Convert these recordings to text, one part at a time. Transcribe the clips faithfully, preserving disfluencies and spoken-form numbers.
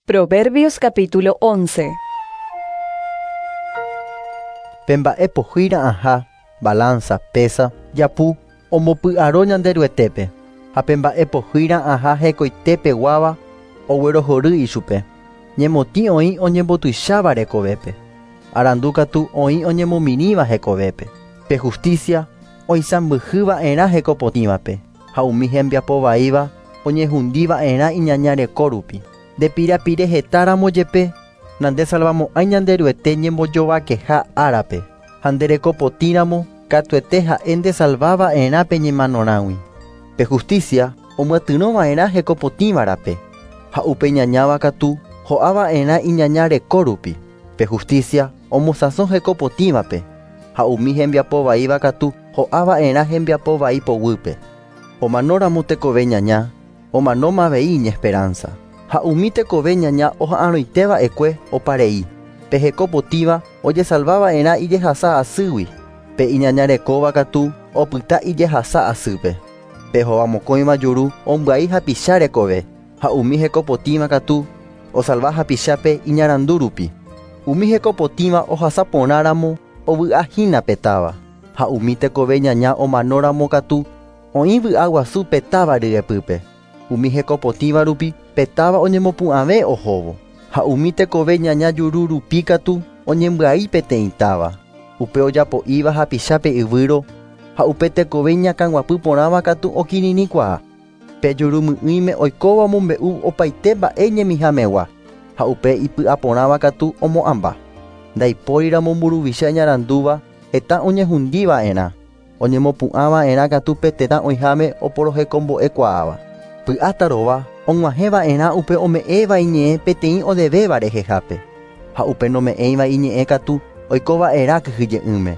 Proverbios capítulo once. Pe mba'e pohýi ra'ãha, balanza, pesa, japu, ombopy'aro Ñanderuetépe, ha pe mba'e pohýi ra'ãha hekoitépeguáva oguerohory ichupe. Ñemotĩ oĩ oñembotuicháva rekovépe, arandu katu oĩ oñemomirĩva hekovépe. Pe justicia oisãmbyhýva'erã hekopotĩvape, ha umi hembiapovaíva oñehundiva'erã iñaña reko rupi. Ndepirapire hetáramo jepe, nandesalvamo'ãi Ñanderuete ñembojovakeha árape, ha nderekopotĩramo katuete ha'e ndesalvava'erã pe ñemanorãgui. Pe justicia omyatyrõva'erã hekopotĩvarape, ha upe iñañáva katu ho'ava'erã iñaña reko rupi. Pe justicia omosãso hekopotĩvape, ha umi hembiapovaíva katu ho'ava'erã hembiapovai poguýpe. Omanóramo tekove ñaña, omanóma avei iñesperanza. Ha umi tekove ñaña oha'arõiteva'ekue oparei. Pe hekopotĩva ojesalvava'erã ijehasa asýgui, pe iñaña rekóva katu opyta ijehasa asýpe. Pe hovamokõiva juru ombyai hapicha rekove, ha umi hekopotĩva katu osalva hapichápe iñarandu rupi. Umi hekopotĩva ohasa porãramo ovy'ahína pe táva, ha umi tekove ñaña omanóramo katu oĩ vy'aguasu pe táva ryepýpe. Umi hekopotĩva rupi pe táva oñemopu'ãve ohóvo, ha umi tekove ñaña juru rupi katu oñembyai peteĩ táva. Upe ojapo'íva hapichápe yvýro, ha upe tekove iñakãguapy porãva katu okirirĩkuaa. Pe jurumy'ỹime oikóva omombe'u opaite mba'e ñemihamegua, ha upe ipy'aporãva katu omo'ãmba. Ndaipóriramo mburuvicha iñarandúva heta oñehundiva'erã, oñemopu'ãva'erã katu pe tetã oĩháme oporohekombo'ekuaáva. Py'atarova og̃uahẽva'erã upe ome'ẽva iñe'ẽ peteĩ odevéva rehehápe, ha upe nome'ẽiva iñe'ẽ katu oikova'erã kyhyje'ỹme.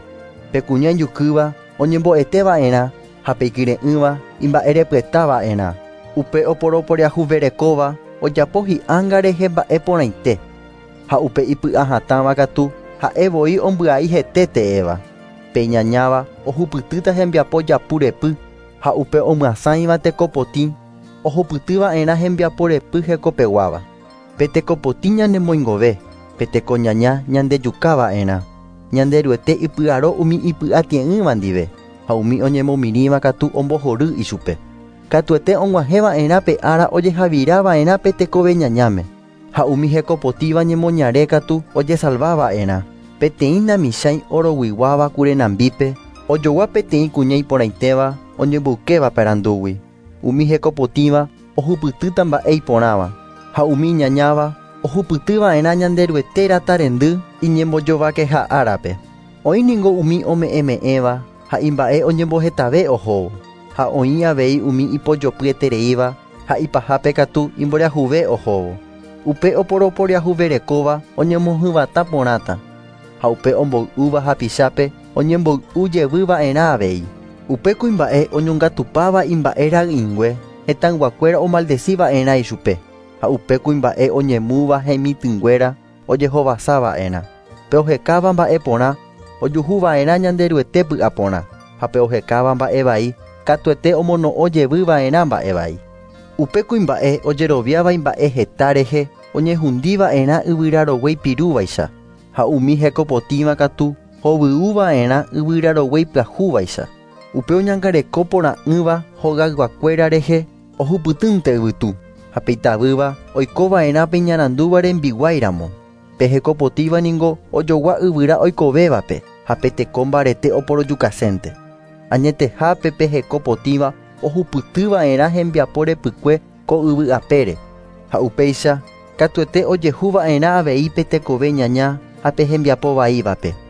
Pe kuña ijukýva oñembo'eteva'erã ha pe ikyre'ỹva imba'erepyetava'erã. Upe oporoporiahuverekóva ojapo hi'ánga rehe mba'e porãite, ha upe ipy'ahatãva katu ha'e voi ombyai hete teéva. Pe iñañáva ohupytýta hembiapo japu repy, ha upe omyasãiva tekopotĩ ohupytýva'erã hembiapo repy hekopeguáva. Pe tekopotĩ ñanemoingove, pe tekoñaña ñandejukava'erã. Ñanderuete ipy'aro umi ipy'atie'ỹva ndive, ha umi oñemomirĩva katu ombohory ichupe. Katuete og̃uahẽva'erã pe ára ojehavirava'erã pe tekove ñañáme, ha umi hekopotĩva ñemoñare katu ojesalvava'erã. Peteĩ namichãi oroguiguáva kurenambípe, ojogua peteĩ kuña iporãitéva oñemboykéva parandúgui. Umi hekopotĩva ohupytýta mba'e iporãva, ha umi iñañáva ohupytýva'erã Ñanderuete ratarendy iñembojovakeha árape. Oĩ ningo umi ome'ẽme'ẽva ha imba'e oñembohetave ohóvo, ha oĩ avei umi ipojopyetereíva ha ipahápe katu imboriahuve ohóvo. Upe oporoporiahuverekóva oñemohyvatã porãta, ha upe omboy'úva hapichápe oñemboy'u jevyva'erã avei. Upe kuimba'e oñongatupáva imba'e ra'ỹingue hetãyguakuéra omaldeciva'erã ichupe, ha upe kuimba'e oñemúva hemitỹnguéra ojehovasava'erã. Pe ohekáva mba'e porã ojuhuva'erã Ñanderuete py'aporã, ha pe ohekáva mba'e vai katuete omono'õ jevyva'erã mba'e vai. Upe kuimba'e ojeroviáva imba'e heta rehe oñehundiva'erã yvyrarogue ipirúvaicha, ha umi hekopotĩva katu hovyũva'erã yvyrarogue ipyahúvaicha. Upe oñangareko porã'ỹva hogayguakuéra rehe ohupytýnte yvytu, ha pe itavýva oikova'erã pe iñarandúva rembiguáiramo. Pe hekopotĩva ningo ojogua yvyra oikovévape, ha pe teko mbarete oporojukasénte. Añetehápe pe hekopotĩva ohupytýva'erã hembiapo repykue ko yvy apére, ha upéicha katuete ojehuva'erã avei pe tekove ñaña ha pe hembiapovaívape.